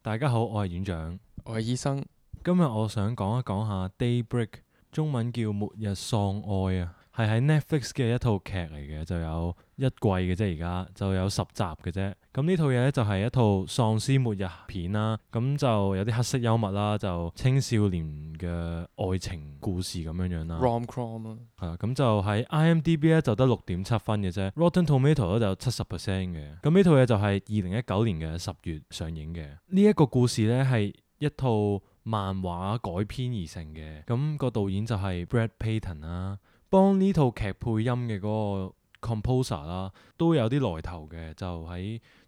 大家好，我係院長。我係醫生。今日我想講一講下 Daybreak， 中文叫末日喪愛啊，係喺 Netflix 嘅一套劇嚟嘅，就有一季嘅啫，而家就有10集嘅啫。咁呢套嘢咧就係一套喪屍末日片啦，咁就有啲黑色幽默啦，就青少年嘅愛情故事咁樣樣啦。Rom-com 啊，係啦，咁就喺 IMDB 咧就得6.7分嘅啫，Rotten Tomato 咧就70% 嘅。咁呢套嘢就係2019年嘅10月上映嘅。呢一個故事咧係一套漫畫改編而成嘅，咁個導演就係 Brad Peyton 啦，幫呢套劇配音嘅嗰個 composer 啦，都有啲來頭嘅，就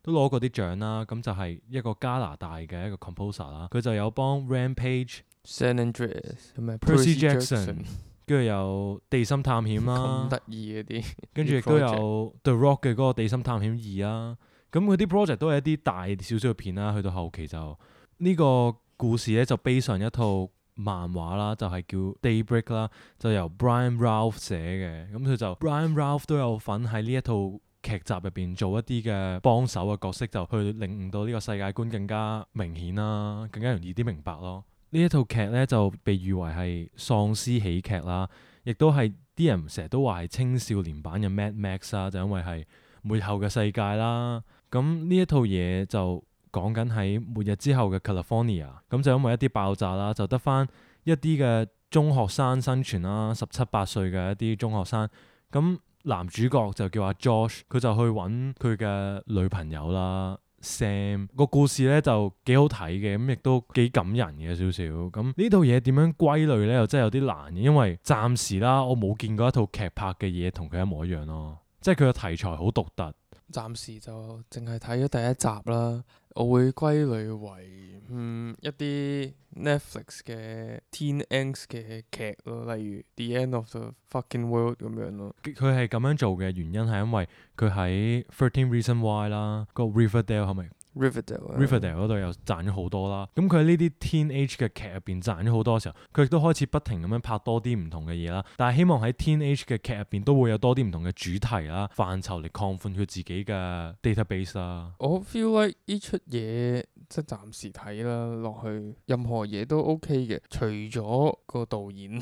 都攞過啲獎啦。咁就係一個加拿大嘅一個 composer 啦，佢就有幫 Rampage、Percy San Andreas 同埋Jackson，跟住有地心探險啦咁，得意嗰啲，跟住亦都有 The Rock 嘅嗰個地心探險2啦。咁佢啲 project 都係一啲大少少嘅片啦，去到後期就呢個故事咧就 base 上一套漫畫啦，就係叫 Daybreak 啦，就由 Brian Ralph 寫嘅。咁佢就 Brian Ralph 都有份喺呢一套劇集入邊做一啲嘅幫手嘅角色，就去令到呢個世界觀更加明顯啦，更加容易啲明白咯。呢一套劇咧就被譽為係喪屍喜劇啦，亦都係啲人成日都話係青少年版嘅 Mad Max 啦，就因為係末後嘅世界啦。咁呢一套嘢就講緊喺末日之後嘅 California， 咁就因為一啲爆炸啦，就得翻一啲嘅中學生生存啦，17、18歲嘅一啲中學生。咁男主角就叫阿 Josh， 佢就去揾佢嘅女朋友啦 Sam。個故事咧就幾好睇嘅，咁亦都幾感人嘅少少。咁呢套嘢點樣歸類咧，又真係有啲難嘅，因為暫時啦，我冇見過一套劇拍嘅嘢同佢一模一樣咯，即係佢嘅題材好獨特。暫時就淨係睇咗第一集啦。我會歸類為一啲 Netflix 嘅 Teen Angst 嘅劇咯，例如 The End of the Fucking World 咁樣咯。佢係咁樣做嘅原因係因為佢喺13 Reasons Why 啦，個 Riverdale 係咪？Riverdale 嗰度又賺咗好多啦。咁佢喺呢啲 teenage 嘅劇入邊賺咗好多嘅時候，佢亦都開始不停咁樣拍多啲唔同嘅嘢啦。但係希望喺 teenage 嘅劇入邊都會有多啲唔同嘅主題啦、範疇嚟擴寬佢自己嘅 database 啦。我 feel like 呢出嘢即係暫時睇啦落去，任何嘢都 OK 嘅，除咗個導演，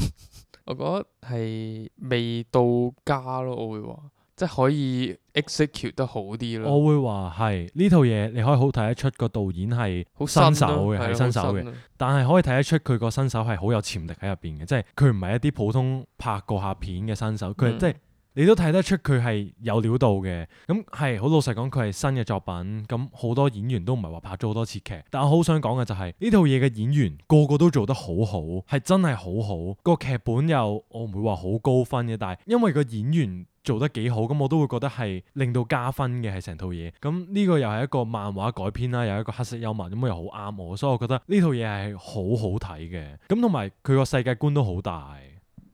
我覺得係未到家咯。我會話。即係可以 execute 得好啲咯。我會話係呢套嘢，你可以好睇得出個導演係好新手嘅，係新手嘅。但係可以睇得出佢個新手係好有潛力喺入邊嘅，即係佢唔係一啲普通拍過下片嘅新手，佢係即係你都睇得出佢係有料到嘅。咁係好老實講，佢係新嘅作品，咁好多演員都唔係話拍咗好多次劇。但我好想講嘅就係呢套嘢嘅演員個個都做得好好，係真係好好。個劇本又我唔會話好高分嘅，但係因為個演員做得幾好，咁我都會覺得係令到加分嘅，係成套嘢。咁呢個又係一個漫畫改編啦，又係一個黑色幽默，咁又好啱我，所以我覺得呢套嘢係好好睇嘅。咁同埋佢個世界觀都好大，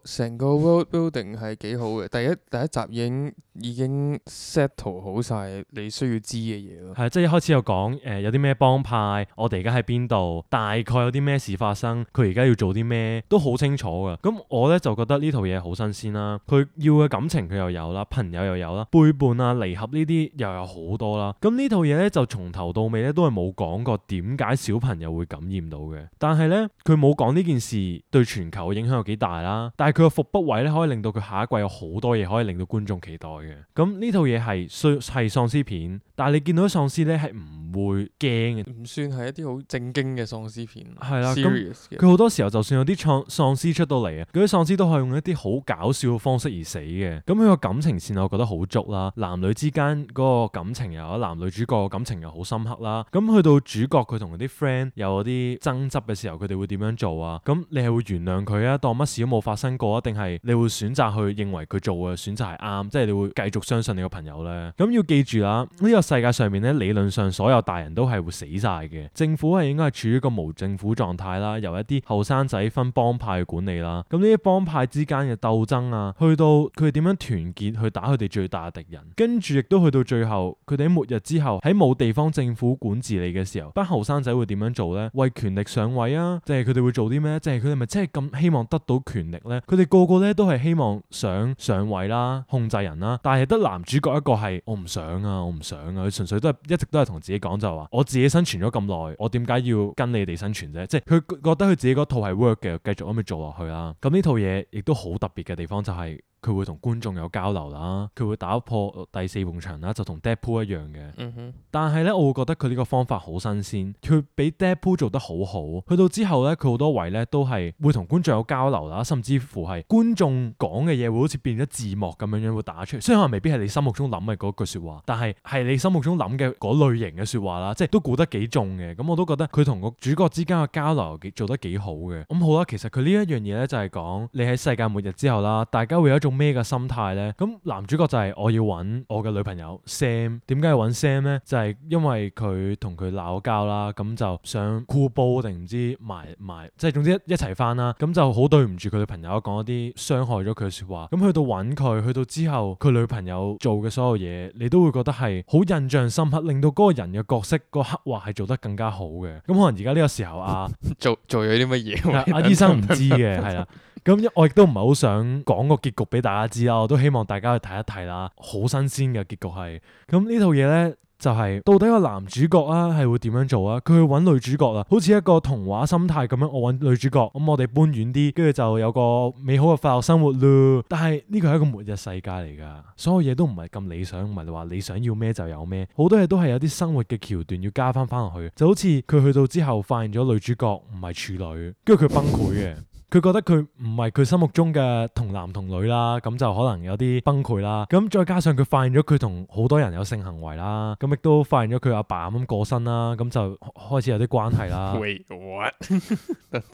成個 world building 係幾好嘅。第一集已經 settle 好晒你需要知嘅嘢咯。係即係一開始有講有啲咩幫派，我哋而家喺邊度，大概有啲咩事發生，佢而家要做啲咩，都好清楚㗎。咁我咧就覺得呢套嘢好新鮮啦。佢要嘅感情佢又有啦，朋友又有啦，背叛啊、離合呢啲又有好多啦。咁呢套嘢咧就從頭到尾咧都係冇講過點解小朋友會感染到嘅。但係咧佢冇講呢件事對全球嘅影響有幾大啦。但係佢個伏筆位咧可以令到佢下一季有好多嘢可以令到觀眾期待嘅。咁呢套嘢係喪屍片，但係你見到啲喪屍咧係唔會驚嘅，唔算係一啲好正經嘅喪屍片。係啦，咁佢好多時候就算有啲喪屍出到嚟啊，嗰啲喪屍都係用一啲好搞笑嘅方式而死嘅。咁佢個感情線我覺得好足啦，男女之間嗰個感情又有，男女主角嘅感情又好深刻啦。咁去到主角佢同啲 friend 有啲爭執嘅時候，佢哋會點樣做啊？咁你係會原諒佢啊，當乜事都冇發生過啊？定係你會選擇去認為佢做嘅選擇係啱，即係你會繼續相信你個朋友咧？咁要記住啦，呢個世界上面咧，理論上所有大人都係會死晒嘅。政府係應該係處於一個無政府狀態啦，由一啲後生仔分幫派去管理啦。咁呢啲幫派之間嘅鬥爭啊，去到佢哋點樣團結去打佢哋最大嘅敵人，跟住亦都去到最後，佢哋喺末日之後喺冇地方政府管治你嘅時候，班後生仔會點樣做呢？為權力上位啊？即係佢哋會做啲咩？即係佢哋咪真係咁希望得到權力呢？佢佢哋個個咧都係希望想上位啦、控制人啦，但係得男主角一個係我唔想啊，我唔想啊，佢純粹都係一直都係同自己講就話，我自己生存咗咁耐，我點解要跟你哋生存啫？即係佢覺得佢自己嗰套係 work 嘅，繼續咁去做落去啦。咁呢套嘢亦都好特別嘅地方就係佢會同觀眾有交流啦，佢會打破第四埲牆啦，就同 Deadpool 一樣嘅。但係咧，我會覺得佢呢個方法好新鮮，佢比 Deadpool 做得好好。去到之後咧，佢好多位咧都係會同觀眾有交流啦，甚至乎係觀眾講嘅嘢會好似變咗字幕咁樣會打出嚟。雖然可能未必係你心目中諗嘅嗰句説話，但係係你心目中諗嘅嗰類型嘅説話啦，即係都估得幾中嘅。咁我都覺得佢同個主角之間嘅交流做得幾好嘅。咁好啦，其實佢呢一樣嘢咧就係講你喺世界末日之後啦，大家會有一種咩嘅心態咧？咁男主角就係我要揾我嘅女朋友 Sam。點解要揾 Sam 咧？就係因為佢同佢鬧交啦，咁就想箍煲定唔知埋，即係總之一齊翻啦。咁就好對唔住佢女朋友，講一啲傷害咗佢嘅説話。咁去到揾佢，去到之後佢女朋友做嘅所有嘢，你都會覺得係好印象深刻，令到嗰個人嘅角色個刻畫係做得更加好嘅。咁可能而家呢個時候做咗啲乜嘢？阿醫生唔知嘅，係啦。咁我亦都唔係好想講個結局俾大家知啦，我都希望大家去睇一睇啦，好新鮮嘅結局係。咁呢套嘢咧就係到底個男主角啊係會點樣做啊？佢去揾女主角啦，好似一個童話心態咁樣，我揾女主角，咁我哋搬遠啲，跟住就有個美好嘅快樂生活咯。但係呢個係一個末日世界嚟噶，所有嘢都唔係咁理想，唔係話你想要咩就有咩，好多嘢都係有啲生活嘅橋段要加翻落去。就好似佢去到之後發現咗女主角唔係處女，跟住佢崩潰嘅。佢覺得佢唔係佢心目中嘅同男同女啦，咁就可能有啲崩潰啦。咁再加上佢發現咗佢同好多人有性行為啦，咁亦都發現咗佢阿爸咁過身啦，咁就開始有啲關係啦。Wait what？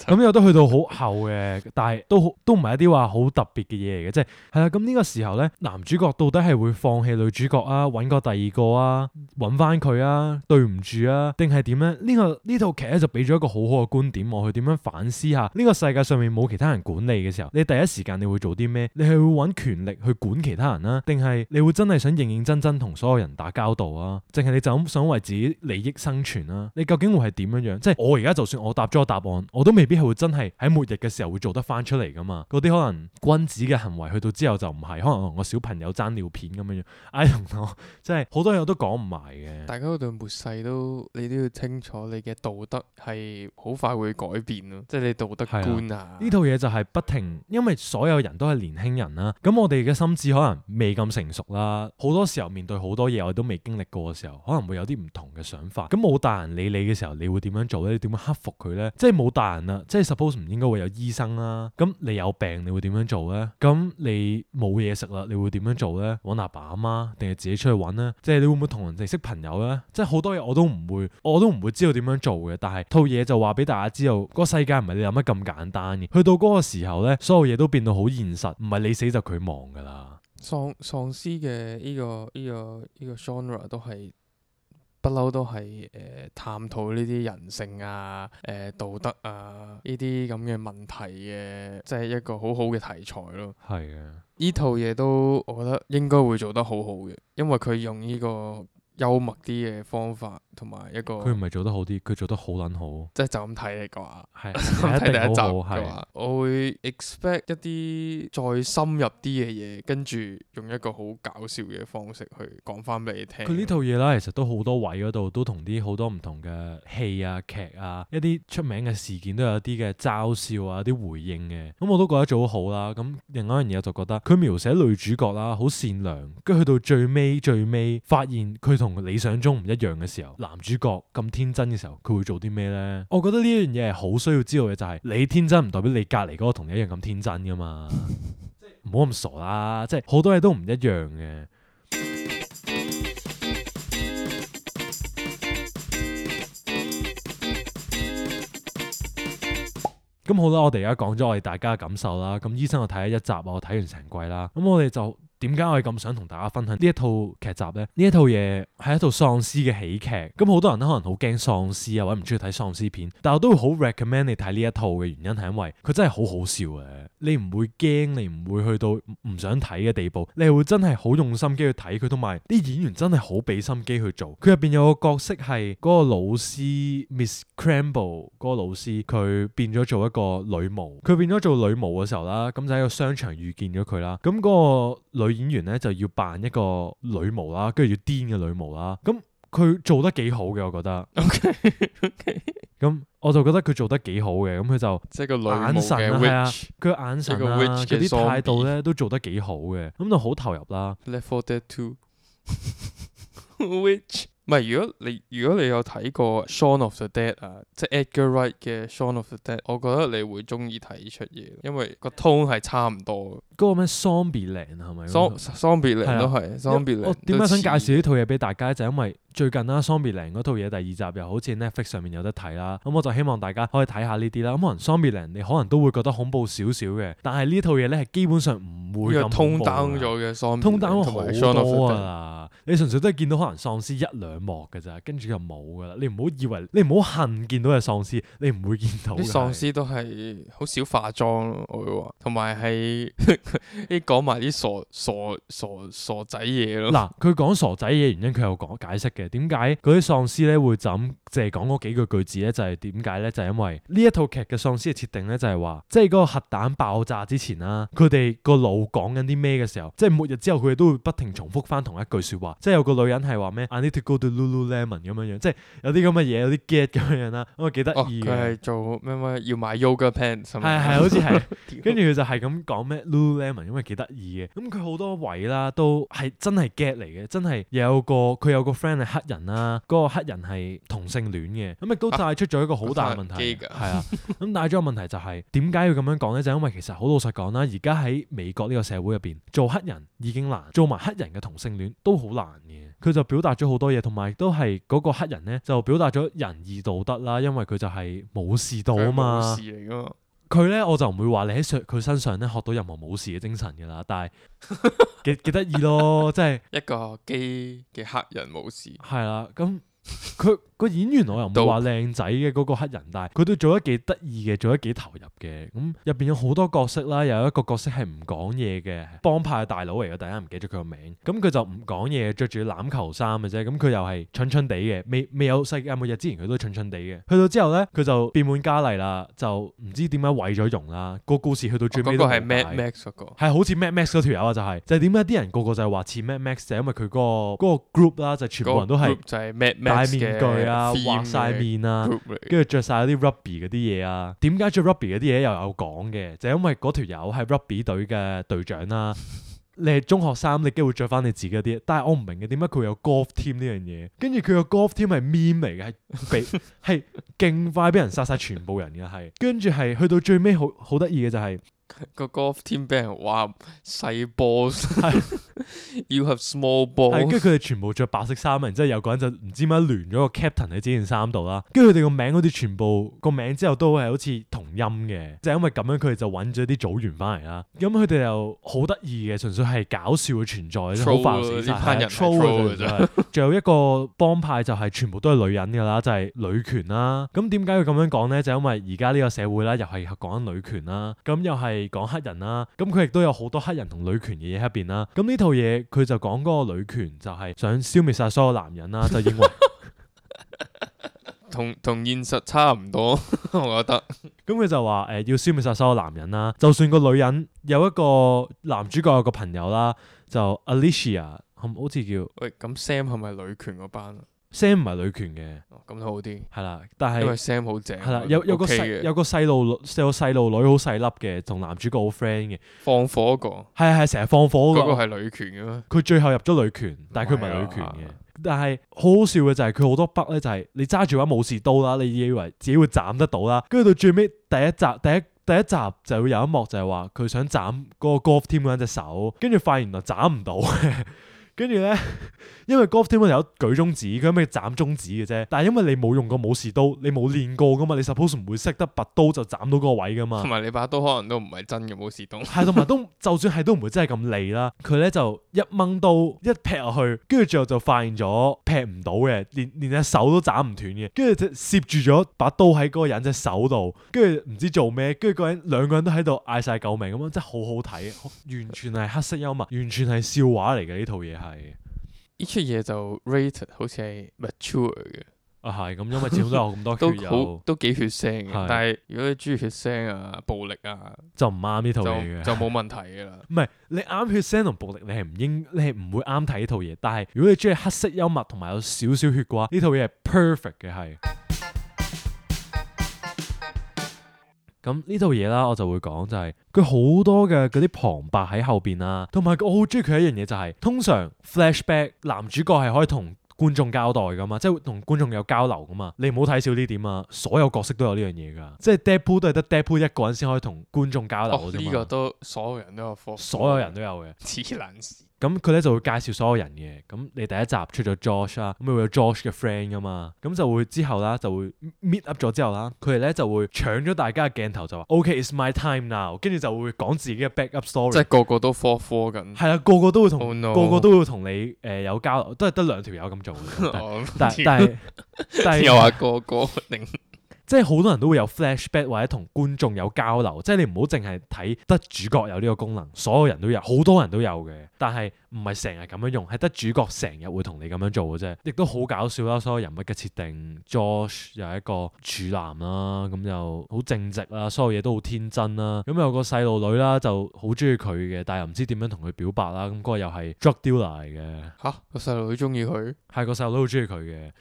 咁有得去到好後嘅，但係都唔係一啲話好特別嘅嘢嚟嘅，即係啦。咁呢個時候咧，男主角到底係會放棄女主角啊，揾個第二個啊，揾翻佢啊，對唔住啊，定係點咧？呢套劇咧就俾咗一個好好嘅觀點，我去點樣反思下呢個世界上面冇其他人管理嘅時候，你第一時間你會做啲咩？你係會揾權力去管其他人啊？定係你會真係想認認真真同所有人打交道啊？淨係你就咁想為自己利益生存啊？你究竟會係點樣樣？即係我而家就算我答咗個答案，我都未必係會真係喺末日嘅時候會做得翻出嚟噶嘛？嗰啲可能君子嘅行為去到之後就唔係，可能同個小朋友爭尿片咁樣樣。I don't know，即係好多嘢我都講唔埋嘅。大家嗰對末世你都要清楚，你嘅道德係好快會改變咯，即係你道德觀啊。呢套嘢就係不停，因為所有人都係年輕人啦，咁我哋嘅心智可能未咁成熟啦，好多時候面對好多嘢我哋都未經歷過嘅時候，可能會有啲唔同嘅想法。咁冇大人理你嘅時候，你會點樣做咧？你點樣克服佢咧？即係冇大人啦，即係 suppose 唔應該會有醫生啦。咁你有病，你會點樣做咧？咁你冇嘢食啦，你會點樣做咧？揾阿爸阿媽定係自己出去揾咧？即係你會唔會同人哋識朋友咧？即係好多嘢我都唔會知道點樣做嘅。但係套嘢就話俾大家知道，個世界唔係你諗得咁簡單嘅。去到嗰個時候咧，所有嘢都變到好現實，唔係你死就佢亡噶啦。喪屍嘅呢個 genre 都係不嬲都係探討呢啲人性啊、道德啊呢啲咁嘅問題嘅，即係一個好好嘅題材咯。係啊，呢套嘢都我覺得應該會做得好好嘅，因為佢用呢個幽默啲嘅方法，同埋一個佢唔係做得好啲，佢做得好撚好。即係就咁睇嘅話，係睇第一集好嘅話，我會 expect 一啲再深入啲嘅嘢，跟住用一個好搞笑嘅方式去講翻俾你聽。佢呢套嘢啦，其實都好多位嗰度都同啲好多唔同嘅戲啊、劇啊，一啲出名嘅事件都有啲嘅嘲笑啊、啲回應嘅。咁我都覺得做得好啦。咁另外一樣嘢我就覺得佢描寫女主角啦，好善良，跟住去到最尾發現佢同理想中唔一樣嘅時候，男主角咁天真嘅時候，佢會做啲咩咧？我覺得呢一樣嘢係好需要知道嘅，就係你天真唔代表你隔離嗰個同你一樣咁天真噶嘛。唔好咁傻啦，即係好多嘢都唔一樣嘅。咁好啦，我哋而家講咗我哋大家嘅感受啦。咁醫生我睇咗一集，我睇完成季啦。咁我哋就點解我係咁想同大家分享呢一套劇集呢？呢一套嘢係一套喪屍嘅喜劇，咁好多人都可能好驚喪屍啊，或者唔中意睇喪屍片，但我都會好 recommend 你睇呢一套嘅原因係因為佢真係好好笑嘅，你唔會驚，你唔會去到唔想睇嘅地步，你係會真係好用心機去睇佢，同埋啲演員真係好俾心機去做。佢入邊有個角色係嗰個老師 Miss Cramble 嗰個老師，佢變咗做一個女巫，佢變咗做女巫嘅時候啦，咁就喺個商場遇見咗佢啦，咁嗰個女演員咧就要扮一個女巫啦，跟住要癲嘅女巫啦，咁佢做得幾好嘅，我覺得。OK，咁我就覺得佢做得幾好嘅，咁佢就即係個女巫眼神嘅啊，係啊 witch，佢眼神一個啊， witch 嘅佢啲態度 zombie 咧都做得幾好嘅，咁就好投入啦。 Left 4 Dead 2 Which 唔係，如果你有睇過 Shaun of the Dead 啊，即係 Edgar Wright 嘅 Shaun of the Dead， 我覺得你會中意睇呢出嘢，因為個 tone 係差唔多。嗰個咩 Zombieland 係咪？Zombieland 都係 Zombieland。我點解想介紹呢套嘢俾大家就係因為最近啦 Zombieland 嗰套嘢第二集又好似 Netflix 上面有得睇啦，咁我就希望大家可以睇下呢啲啦。咁可能 Zombieland 你可能都會覺得恐怖少少嘅，但係呢套嘢咧係基本上唔會咁恐怖。通 down 咗嘅 Zombieland，通 down 同埋好多啊！你純粹都係見到可能喪屍一兩幕㗎咋，跟住就冇噶啦。你唔好以為，你唔好恨見到嘅喪屍，你唔會見到。啲喪屍都係好少化妝咯，我會話，同埋係啲講埋啲傻仔嘢咯。嗱，佢講傻仔嘢原因，佢有講解釋嘅。點解嗰啲喪屍咧會就咁淨係講嗰幾句字咧？就係點解咧？就係因為呢一套劇嘅喪屍嘅設定咧，就係話，即係嗰個核彈爆炸之前啦，佢哋個腦講緊啲咩嘅時候，即係末日之後，佢哋都會不停重複翻同一句説話。即係有個女人係話咩？I need to go to Lululemon 咁樣樣，即係有啲咁嘅嘢，有啲 get 咁樣樣啦。咁啊幾得意嘅。佢係做咩要買 yoga pants 係咪？係好似係。跟住佢就係咁講咩 Lululemon，因為幾得意嘅。咁佢好多位啦，都係真係 get 嚟嘅，真係佢有個 friend 係黑人啦，嗰個黑人係同性戀嘅，咁亦都帶出咗一個好大嘅問題，係啊。咁帶咗個問題就係點解要咁樣講咧？就因為其實好老實講啦，而家喺美國呢個社會入邊，做黑人已經難，做埋黑人嘅同性戀都好難嘅。佢就表達咗好多嘢，同埋都係嗰個黑人咧就表達咗仁義道德啦，因為佢就係武士道啊嘛。武士嚟㗎嘛。佢咧我就唔會話你喺佢身上咧學到任何武士嘅精神㗎啦，但係幾得意咯，即係一個基嘅黑人武士。係啦，咁佢個演員我又唔會話靚仔嘅嗰個黑人，但係佢都做得幾得意嘅，做得幾投入嘅。咁入邊有好多角色啦，有一個角色係唔講嘢嘅幫派大佬嚟嘅，大家唔記得咗佢個名。咁佢就唔講嘢，着住欖球衫嘅啫。咁佢又係蠢蠢地嘅，未有世界末日之前佢都蠢蠢地嘅。去到之後咧，佢就變本加厲啦，就唔知點解毀咗容啦。個故事去到最尾都嗰個係 Mad Max 嗰個，係好似 Mad Max 嗰條友啊，就係點解啲人個個就係話似 Mad Max，就係因為佢嗰個 group 啦，就全部人都係就係 Mad 戴 Max 面具啊，畫晒面啊，跟住着晒啲 Rugby 嗰啲嘢啊。點解着 Rugby 嗰啲嘢又有講嘅？就係因為嗰條友係 Rugby 隊嘅隊長啦。你係中學生，你機會着翻你自己嗰啲，但係我唔明嘅點解佢會有 golf team 呢樣嘢？跟住佢個 golf team 係 meme 嚟嘅，係勁快俾人殺晒全部人嘅，係跟住係去到最尾好得意嘅就係。個 golf team 俾人話細波，You have small balls。係，跟住佢哋全部着白色衫，然之後有個人就唔知點解聯咗個 captain 喺自己件衫度啦。跟住佢哋個名好似全部個名之後都係好似同音嘅，就係因為咁樣佢哋就揾咗啲組員翻嚟啦。咁佢哋又好得意嘅，純粹係搞笑嘅存在，好快死晒。呢班人 troll 嘅啫。仲有一個幫派就係全部都係女人㗎啦，就係女權啦。咁點解要咁樣講咧？就因為而家呢個社會啦，又係講緊女權啦，咁又係講黑人啦，咁佢亦都有好多黑人同女權嘅嘢喺入邊啦。咁呢套嘢佢就講嗰個女權就係想消滅晒所有男人啦，就認為同現實差唔多，我覺得。咁佢就話要消滅晒所有男人啦，就算個女人有一個男主角有個朋友啦，就 Alicia 好似叫。喂，咁 Sam 係咪女權嗰班啊？Sam 唔係女權嘅，咁好啲。係啦，但係因為 Sam 好正。係啦，有個細路女好細粒嘅，同男主角好 friend 嘅。放火嗰個。係成日放火嗰個。嗰個係女權嘅咩？佢最後入咗女權，但係佢唔係女權嘅。但係好好笑嘅就係佢好多筆咧，就係你揸住把武士刀啦，你以為自己會斬得到啦，跟住到最尾第一集就會有一幕就係話佢想斬嗰個 golf team 嗰人隻手，跟住發現原來斬唔到。跟住咧，因為 Golf Team 有舉中指，佢咪斬中指嘅啫。但係因為你冇用過武士刀，你冇練過噶嘛，你 suppose 唔會識得拔刀就斬到嗰個位噶嘛。同埋你把刀可能都唔係真嘅武士刀。係，同埋都就算係都唔會真係咁利啦。佢咧就一掹刀一劈落去，跟住最後就發現咗劈唔到嘅，連隻手都斬唔斷嘅。跟住就攝住咗把刀喺嗰個人隻手度，跟住唔知做咩，跟住兩個人都喺度嗌晒救命咁樣，真係好好睇，完全係黑色幽默，完全係笑話嚟嘅呢套嘢係。呢出嘢就 rated 好似係 mature 嘅。啊係咁，因為始終都有咁多血有，都幾血腥嘅。係但係如果你中意血腥啊、暴力啊，就唔啱呢套嘢嘅。就冇問題㗎啦。唔係你啱血腥同暴力，你係唔會啱睇呢套嘢。但係如果你中意黑色幽默同埋有少少血嘅話，呢套嘢係 perfect 嘅係。咁呢套嘢啦，我就會講就係佢好多嘅嗰啲旁白喺後邊啦，同埋我好中意佢一樣嘢就係，通常 flashback 男主角係可以同觀眾交代噶嘛，即係同觀眾有交流噶嘛，你唔好睇少呢點啊！所有角色都有呢樣嘢噶，即係 Deadpool 都係得 Deadpool 一個人先可以同觀眾交流嘅啫嘛。呢個都所有人都有科，所有人都有嘅。黐撚線。咁佢咧就會介紹所有人嘅，咁你第一集出咗 Josh 啦，咁會有 Josh 嘅 friend 噶嘛，咁就會之後啦就會 meet up 咗之後啦，佢哋咧就會搶咗大家嘅鏡頭就話 OK，it's my time now，跟住就會講自己嘅 backup story，即係個個都科緊。係啦，個個都會同、Oh no，個個都會同你有交流，都係得兩條友咁做嘅，但係又話個個定。即係好多人都會有 flashback 或者同觀眾有交流，即係你唔好淨係睇得主角有呢個功能，所有人都有，好多人都有嘅，但係唔係成日咁樣用，係得主角成日會同你咁樣做嘅啫，亦都好搞笑啦！所有人物嘅設定 ，Josh 又係一個處男啦，咁又好正直啦，所有嘢都好天真啦，咁有個細路女啦就好中意佢嘅，但係又唔知點樣同佢表白啦，咁嗰個又係 drug dealer 嚟嘅。嚇，個細路女中意佢，係個細路女好中意佢嘅。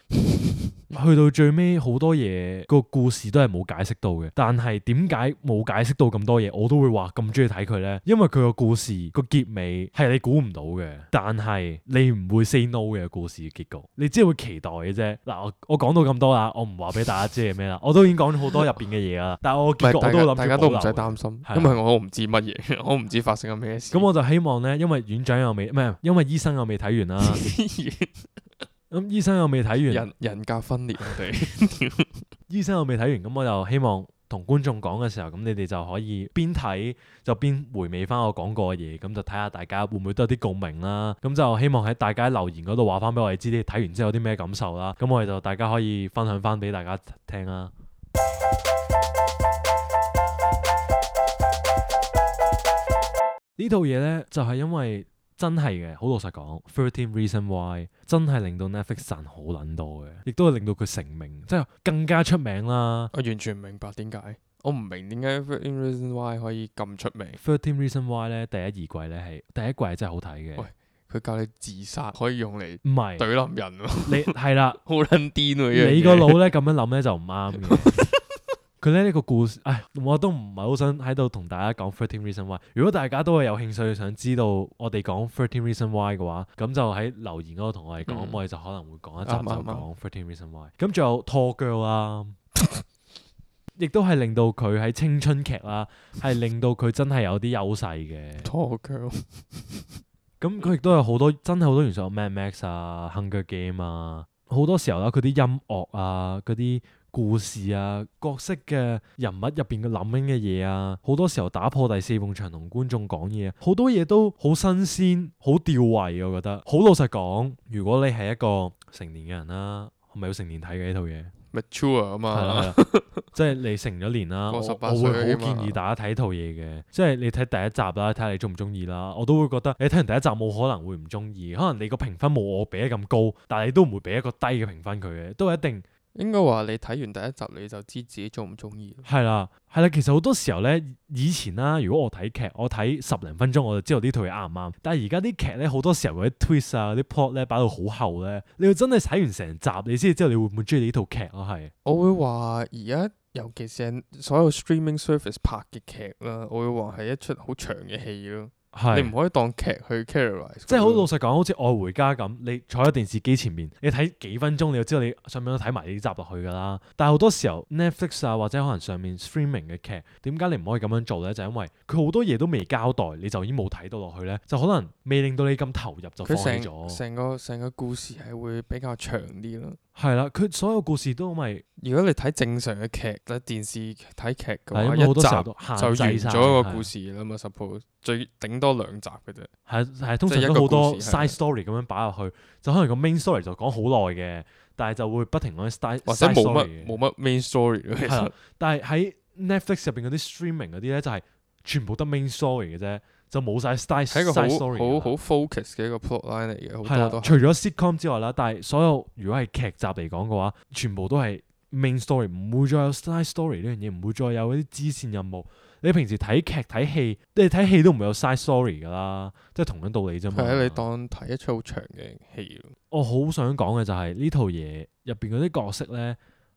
去到最尾好多嘢個故事都係冇解釋到嘅，但係點解冇解釋到咁多嘢，我都會話咁中意睇佢呢？因為佢個故事個結尾係你估唔到嘅，但係你唔會 say no 嘅故事嘅結局，你只係會期待嘅啫。嗱，我講到咁多啦，我唔話俾大家知係咩啦，我都已經講咗好多入邊嘅嘢啦，但係我結局我都諗住大家都唔使擔心，因為我唔知乜嘢，我唔知發生緊咩事。咁我就希望呢，因為院長又未，唔係因為醫生又未睇完啦。咁醫生又未睇完，人格分裂我哋。醫生又未睇完，咁我就希望同觀眾講嘅時候，咁你哋就可以邊睇就邊回味翻我講過嘅嘢，咁就睇下大家會唔會都有啲共鳴啦。咁就希望喺大家留言嗰度話翻俾我哋知，你睇完之後有啲咩感受啦。咁我哋就大家可以分享翻俾大家聽啦。呢套嘢呢，就係因為。真係嘅，好老實講，13 Reasons Why 真係令到 Netflix 賺好撚多嘅，亦都係令到佢成名，即係更加出名啦。我完全唔明白點解，我唔明點解13 Reasons Why 可以咁出名。13 Reasons Why 咧，第一二季咧係第一季係真係好睇嘅。喂，佢教你自殺可以用嚟唔係懟冧人喎，你係啦，好撚癲喎！你個腦咧咁樣諗咧就唔啱嘅。佢咧呢個故事，我都唔係好想喺度同大家講13 Reasons Why。如果大家都係有興趣想知道我哋講13 Reasons Why 嘅話，咁就喺留言嗰度同我哋講，我哋就可能會講一集就講13 Reasons Why。咁仲有 Tall Girl 啦，亦都係令到佢喺青春劇啦，係令到佢真係有啲優勢嘅。Tall Girl。咁佢亦都有好多真係好多元素，Mad Max 啊、Hunger Game 啊，好多時候啦，佢啲音樂啊、嗰啲故事啊、角色嘅人物入邊嘅諗緊嘅嘢啊，好多時候打破第四埲牆同觀眾講嘢，好多嘢都好新鮮、好吊胃，我覺得。好老實講，如果你係一個成年嘅人啦，係咪要成年睇嘅呢套嘢？Mature 啊嘛，係啦，即係你成咗年啦，我會好建議大家睇套嘢嘅，即係你睇第一集啦，睇下你中唔中意啦。我都會覺得你睇完第一集冇可能會唔中意，可能你個評分冇我俾得咁高，但係你都唔會俾一個低嘅評分佢嘅，都係一定。應該話你睇完第一集你就知自己中唔中意。係啦，其實好多時候咧，以前啦，如果我睇劇，我睇10零分鐘我就知道呢套嘢啱唔啱。但係而家啲劇咧，好多時候嗰啲 twist 啊、啲 plot 咧擺到好後咧，你要真係睇完成集，你先知道你會唔會中意呢套劇咯。係，我會話而家尤其是所有 streaming service 拍嘅劇啦，我會話係一出好長嘅戲咯。係你唔可以當劇去 characterize。即係好老實講，好似愛回家咁，你坐喺電視機前面，你睇幾分鐘，你就知道你上面都睇埋呢集落去㗎啦。但係好多時候 Netflix 啊，或者可能上面 streaming 嘅劇，點解你唔可以咁樣做呢？就係因為佢好多嘢都未交代，你就已經冇睇到落去呢，就可能未令到你咁投入就放棄佢咗。成個故事係會比較長啲咯。係啦，佢所有故事都咪如果你睇正常嘅劇咧，電視睇劇嘅話，係因為好多時候一都集就完限制晒咗一個故事啦嘛。suppose 最頂多2集嘅啫。係通常即係一個都好多故事係 side story 咁樣擺入去，就可能個 main story 就講好耐嘅，但係就會不停講啲 side 或者 side 冇 story 乜嘅冇乜 main story 咯，其係啦實。但係喺 Netflix 入邊嗰啲 streaming 嗰啲咧，就係全部得 main story 嘅啫，就冇晒 side 係一個 side story 㗎啦好 focus 嘅一個 plot line 嚟嘅，好係啦，多都係。除咗 sitcom 之外啦，但係所有如果係劇集嚟講嘅話，全部都係 main story，唔會再有 side story 呢樣嘢，唔會再有嗰啲支線任務。你平時睇劇睇戲，你睇戲都唔會有 side story 㗎啦，即係同樣道理啫嘛。係啊，你當睇一出好長嘅戲咯。我好想講嘅就係呢套嘢入邊嗰啲角色咧，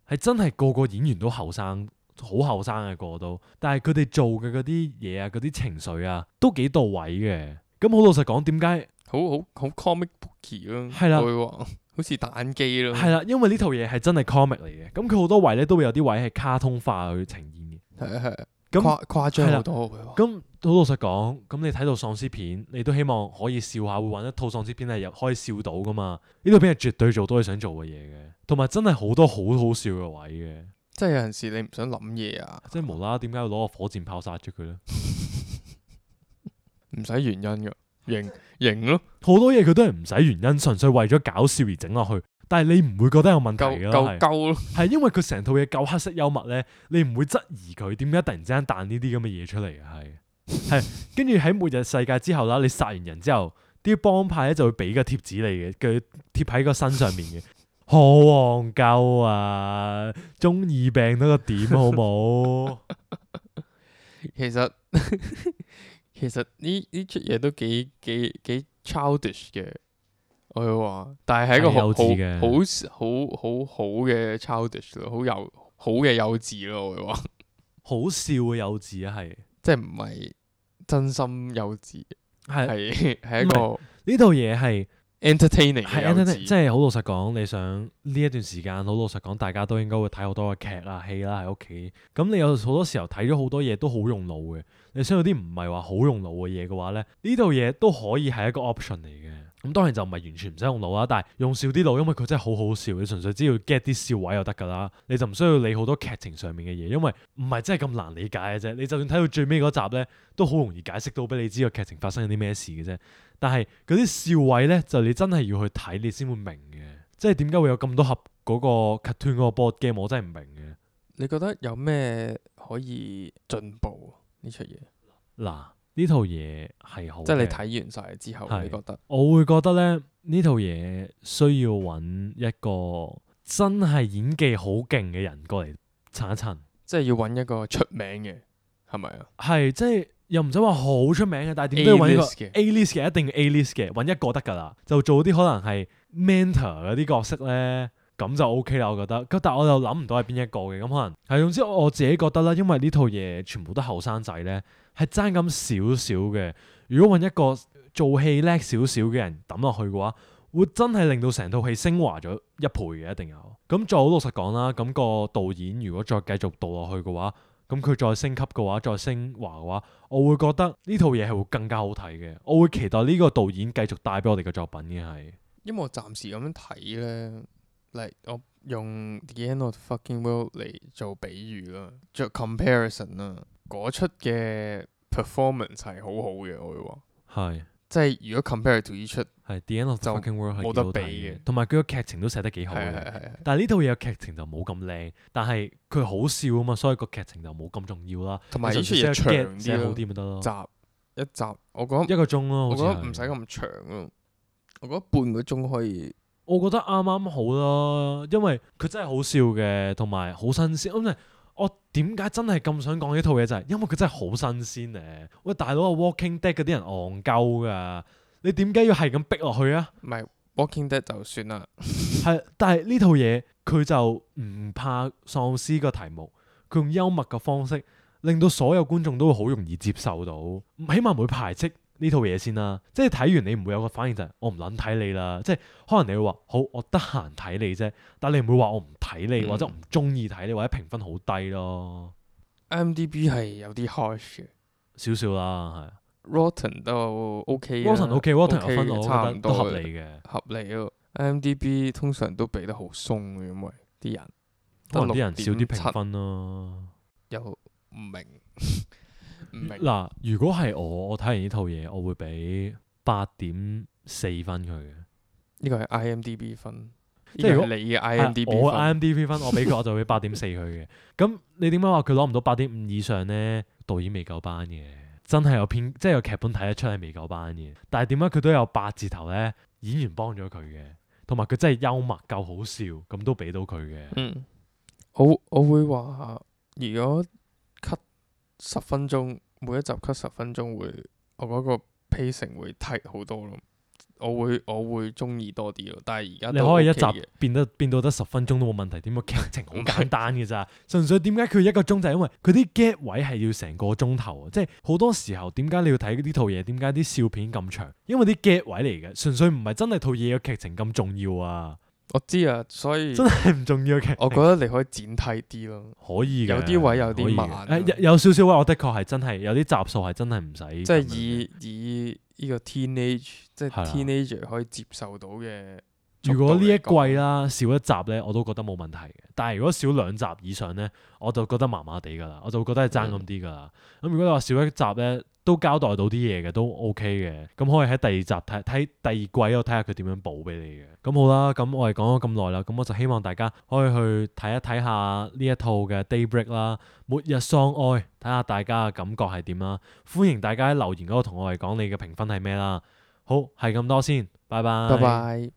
係真係個個演員都後生，好後生嘅個個都，但係佢哋做嘅嗰啲嘢啊，嗰啲情緒啊，都幾到位嘅。咁好老實講，點解？好 comic booky 咯，係啦我會話好似打機咯。係啦，因為呢套嘢係真係 comic 嚟嘅，咁佢好多位咧都會有啲位係卡通化去呈現嘅。係啊係啊，咁誇張好多我會話。咁好老實講，咁你睇到喪屍片，你都希望可以笑下，會揾一套喪屍片係可以笑到噶嘛？呢套片係絕對做到你想做嘅嘢嘅，同埋真係好多好好笑嘅位嘅。即係有陣時你唔想諗嘢啊，即係無啦啦，點解要攞個火箭炮殺咗佢咧？唔使原因㗎，型咯，好多嘢佢都係唔使原因，純粹為咗搞笑而整落去。但係你唔會覺得有問題夠㗎啦，夠咯。係因為佢成套嘢夠黑色幽默咧，你唔會質疑佢點解突然之間彈呢啲咁嘅嘢出嚟嘅，係跟住喺末日世界之後啦，你殺完人之後，啲幫派咧就會俾個貼紙你嘅，佢貼喺個身上面嘅，好戇鳩啊！中二病到個點好冇？其實其實呢出嘢都幾 childish 嘅，我會話，但係係一個係幼稚嘅好嘅 childish 咯，好嘅幼稚咯，我會話，好笑嘅幼稚啊，係即係唔係真心幼稚，係係一個呢套嘢係。 entertaining 嘅係幼 即稚。係好老實講，你想呢一段時間好老實講，大家都應該會睇好多嘅劇啦、戲啦喺屋企。咁你有好多時候睇咗好多嘢都好用腦嘅。你想有啲唔係話好用腦嘅嘢嘅話咧，呢套嘢都可以係一個 option 嚟嘅。咁當然就唔係完全唔使用腦啦，但係用少啲腦，因為佢真係好好笑。你純粹只要 get 啲笑位就得㗎啦，你就唔需要理好多劇情上面嘅嘢，因為唔係真係咁難理解嘅啫。你就算睇到最尾嗰集咧，都好容易解釋到俾你知個劇情發生咗啲咩事嘅啫。但係嗰啲笑位咧，就你真係要去睇，你先會明嘅。即係點解會有咁多盒嗰個 cartoon 嗰個 board game，我真係唔明嘅。你覺得有咩可以進步呢出嘢？嗱，呢套嘢係好嘅，即係你睇完晒之後，係你覺得我會覺得咧，呢套嘢需要揾一個真係演技好勁嘅人過嚟撐一撐。即係要揾一個出名嘅，係咪啊？係即係又唔使話好出名嘅，但係點都要揾一個 A-list 嘅 A-list 嘅，一定 A-list 嘅，揾一個得㗎啦。就做啲可能係 mentor 嗰啲角色咧，咁就 OK 啦，我覺得。咁但係我又諗唔到係邊一個嘅，咁可能係總之我自己覺得啦，因為呢套嘢全部都後生仔咧，係爭咁少少嘅。如果揾一個做戲叻少少嘅人抌落去嘅話，會真係令到成套戲升華咗一倍嘅，一定有。咁再好老實講啦，咁個導演如果再繼續導落去嘅話，咁佢再升級嘅話，再升華嘅話，我會覺得呢套嘢係會更加好睇嘅。我會期待呢個導演繼續帶俾我哋嘅作品嘅係。因為我暫時咁樣睇咧，嚟我用 The End of the Fucking World 嚟做比喻啦，做 comparison 啦，嗰出嘅 performance 係好好嘅，我會話，係即係如果 compare to 呢出，係 The End of the 就 Fucking World 係冇得幾好睇比嘅，同埋佢個劇情都寫得幾好嘅。係。但係呢套嘢嘅劇情就冇咁靚，但係佢好笑啊嘛，所以個劇情就冇咁重要啦。同埋呢出你嘢長純粹寫個 get 寫好啲咯，啲咪得咯。一集我覺得一個鐘咯，好似我覺得唔使係。咁長咯，我覺得半個鐘可以。我覺得啱啱好啦，因為佢真係好笑嘅，同埋好新鮮。咁我點解真係咁想講呢套嘢就係因為佢真係好新鮮咧。喂，大佬啊，Walking Dead 嗰啲人戇鳩噶，你點解要係咁逼落去啊？唔係 Walking Dead 就算啦，係，但係呢套嘢佢就唔怕喪屍個題目，佢用幽默嘅方式令到所有觀眾都會好容易接受到，起碼唔會排斥呢套嘢先啦。即係睇完你唔會有個反應就係我唔撚睇你啦。即係可能你會話好，我得閒睇你啫，但係你唔會話我唔睇你，或者唔中意睇你，或者評分好低咯。IMDB 係有啲 harsh 嘅，少少啦， Rotten 都 OK 係。Rotten OK，Rotten 有分我差唔多覺得都合理嘅。合理咯。IMDB 通常都俾得好鬆嘅，因為啲人可能啲人少啲評6.7分咯。又唔明唔明。嗱，如果係我睇完呢套嘢，我會俾8.4分佢嘅。呢個係 IMDB 分，即係如果呢個係你嘅 IMDB 我分。 IMDB 分，我俾佢我就俾8.4佢嘅。咁你點解話佢攞唔到8.5以上呢？導演未夠班嘅，真係有編，即係有劇本睇得出係未夠班嘅。但係點解佢都有8字頭呢？演員幫咗佢嘅，同埋佢真係幽默夠好笑，咁都俾到佢嘅。我會話，如果 cut 10分鐘，每一集 cut 10分鐘會，我覺得個 pacing 會 tight 好多咯。我會中意多啲咯。但係而家你可以一集變到得10分鐘都冇問題，點解劇情好簡單嘅咋？純粹點解佢1個鐘就係因為佢啲 get 位係要成個鐘頭啊！即係好多時候點解你要睇呢套嘢？點解啲笑片咁長？因為啲 get 位嚟嘅，純粹唔係真係套嘢嘅劇情咁重要啊！我知啊，所以真係唔重要嘅劇情。我覺得你可以剪替啲咯。可以嘅，有啲位有啲慢可以嘅有少少位，我的確係真係有啲集數係真係唔使。即係以呢個 teenage 即係係啦 teenager 可以接受到嘅。如果呢一季啦少一集咧，我都覺得冇問題嘅。但係如果少2集以上咧，我就覺得麻麻地㗎啦，我就覺得係爭咁啲㗎啦。咁如果你話少一集咧，都交代到啲嘢嘅，都 OK 嘅。咁可以喺第2集睇第2季我睇下佢點樣補俾你嘅。咁好啦，咁我哋講咗咁耐啦，咁我就希望大家可以去睇一睇下呢一套嘅 Daybreak 啦，末日喪愛，睇下大家嘅感覺係點啦。歡迎大家喺留言嗰度同我哋講你嘅評分係咩啦。好，係咁多先，拜拜。拜拜。